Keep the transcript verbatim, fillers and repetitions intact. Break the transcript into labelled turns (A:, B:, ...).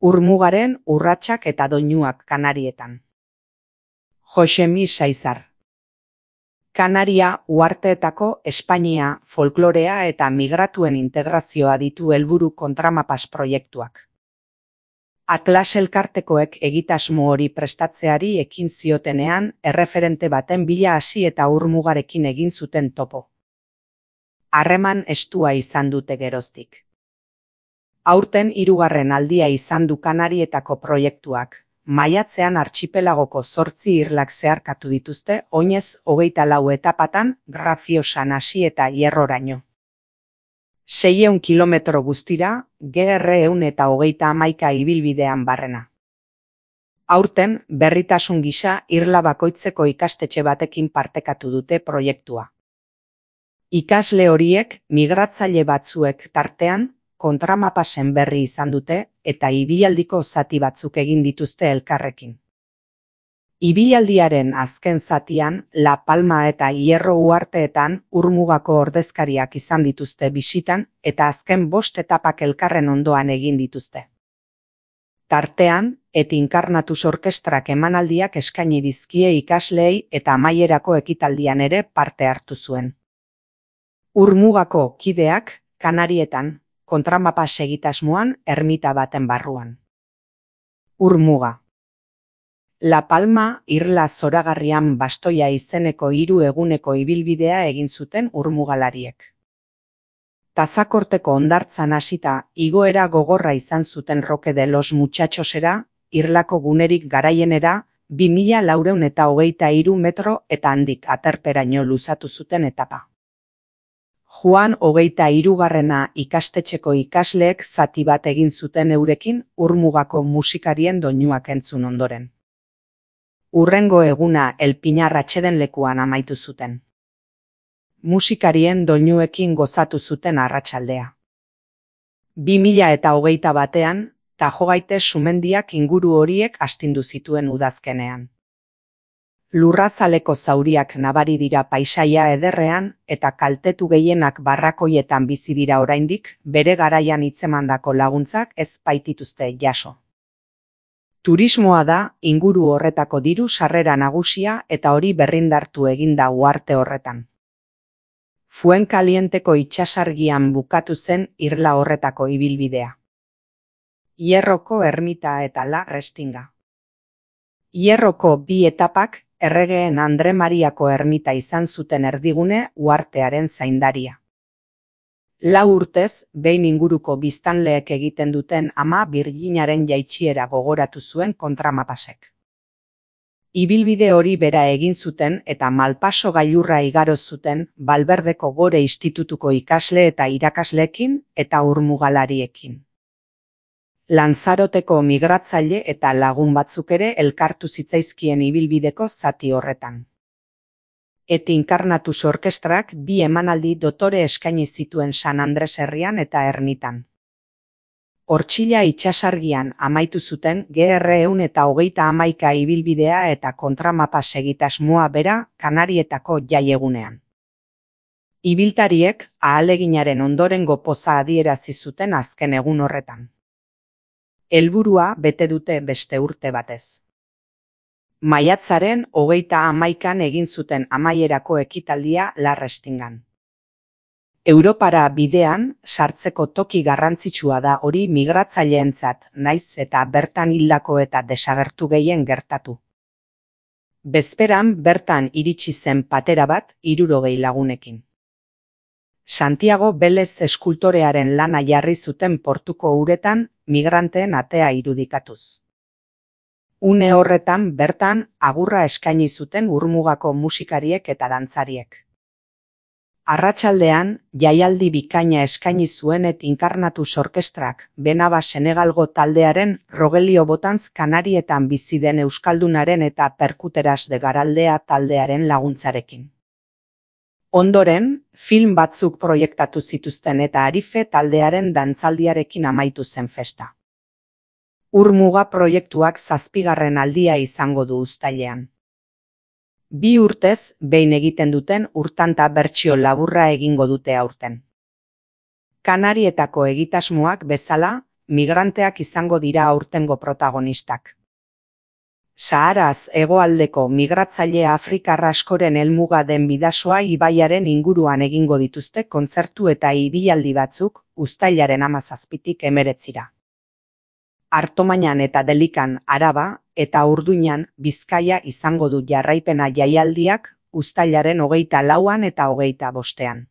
A: Urmugaren urratsak eta doinuak Kanarietan. Josemi Saizar. Kanaria uharteetako Espainia, folklorea eta migratuen integrazioa ditu helburu kontramapas proiektuak. Atlas elkartekoek egitasmo hori prestatzeari ekin ziotenean erreferente baten bila hasi eta Urmugarekin egin zuten topo. Harreman estua izan dute geroztik. Aurten hirugarren aldia izan du Kanarietako proiektuak, maiatzean artxipelagoko zortzi irlak zeharkatu dituzte oinez hogeita lau etapatan Graciosan hasi eta Hierroraino. Seiehun kilometro guztira, G R ehun eta hogeita hamaika ibilbidean barrena. Aurten, berritasun gisa irla bakoitzeko ikastetxe batekin partekatu dute proiektua. Ikasle horiek migratzaile batzuek tartean, kontramapasen berri izan dute eta ibialdiko zati batzuk egin dituzte elkarrekin. Ibialdiaren azken zatian, La Palma eta Hierro uharteetan Urmugako ordezkariak izan dituzte bisitan eta azken bost etapak elkarren ondoan egin dituzte. Tartean, Et Incarnatus orkestrak emanaldiak eskaini dizkie ikasleei eta amaierako ekitaldian ere parte hartu zuen. Urmugako kideak, Kanarietan, kontramapas egitasmoan ermita baten barruan. Urmuga. La Palma irla zoragarrian Bastoia izeneko hiru eguneko ibilbidea egin zuten urmugalariek. Tazakorteko hondartzan hasita igoera gogorra izan zuten Roque de los Muchachosera, irlako gunerik garaienera, bi mila laurehun eta hogeita hiru metro eta handik aterperaino luzatu zuten etapa. Juan hogeita hirugarrena ikastetxeko ikasleek zati bat egin zuten eurekin Urmugako musikarien doinuak entzun ondoren. Urrengo eguna El Pinar atsedenlekuan amaitu zuten. Musikarien doinuekin gozatu zuten arratsaldea. Bi mila eta hogeita batean, Tajogaite sumendiak inguru horiek astindu zituen udazkenean. Lurrazaleko zauriak nabari dira paisaia ederrean eta kaltetu gehienak barrakoietan bizi dira oraindik, bere garaian hitzemandako laguntzak ez baitituzte jaso. Turismoa da inguru horretako diru sarrera nagusia eta hori berrindartu egin da uharte horretan. Fuencalienteko itsasargian bukatu zen irla horretako ibilbidea. Hierroko ermita eta La Restinga. Hierroko bi etapak erregeen Andre Mariako ermita izan zuten erdigune uhartearen zaindaria. Lau urtez, behin inguruko biztanleek egiten duten Ama Birjinaren jaitsiera gogoratu zuen kontramapasek. Ibilbide hori bera egin zuten eta Malpaso gailurra igaro zuten Balberdeko Gore Institutuko ikasle eta irakasleekin eta urmugalariekin. Lanzaroteko migratzaile eta lagun batzuk ere elkartu zitzaizkien ibilbideko zati horretan. Et Incarnatus orkestrak bi emanaldi dotore eskaini zituen San Andres herrian eta ermitan. Ortxila itsasargian amaitu zuten G R ehun eta hogeita hamaika ibilbidea eta kontramapas egitasmoa bera Kanarietako jaiegunean. Ibiltariek ahaleginaren ondorengo poza adierazi zuten azken egun horretan. Helburua bete dute beste urte batez. Maiatzaren hogeita hamaikan egin zuten amaierako ekitaldia La Restingan. Europara bidean sartzeko toki garrantzitsua da hori migratzaileentzat, naiz eta bertan hildako eta desagertu gehien gertatu. Bezperan bertan iritsi zen patera bat hirurogei lagunekin. Santiago Belez eskultorearen lana jarri zuten portuko uretan migranteen atea irudikatuz. Une horretan bertan agurra eskaini zuten Urmugako musikariek eta dantzariek. Arratsaldean jaialdi bikaina eskaini zuen Et Incarnatus orkestrak Benaba Senegalgo taldearen Rogelio Botanz Kanarietan bizi den euskaldunaren eta Perkuteras de Garaldea taldearen laguntzarekin. Ondoren, film batzuk proiektatu zituzten eta Arife taldearen dantzaldiarekin amaitu zen festa. Urmuga proiektuak zazpigarren aldia izango du uztailean. Bi urtez behin egiten duten urtanta bertsio laburra egingo dute aurten. Kanarietako egitasmoak bezala, migranteak izango dira aurtengo protagonistak. Saharaz hegoaldeko migratzaile afrikar askoren helmuga den Bidasoa ibaiaren inguruan egingo dituzte kontzertu eta ibilaldi batzuk uztailaren hamazazpitik hemeretzira. Artomañan eta Delikan Araba eta Urduñan Bizkaia izango du jarraipena jaialdiak uztailaren hogeita lauan eta hogeita bostean.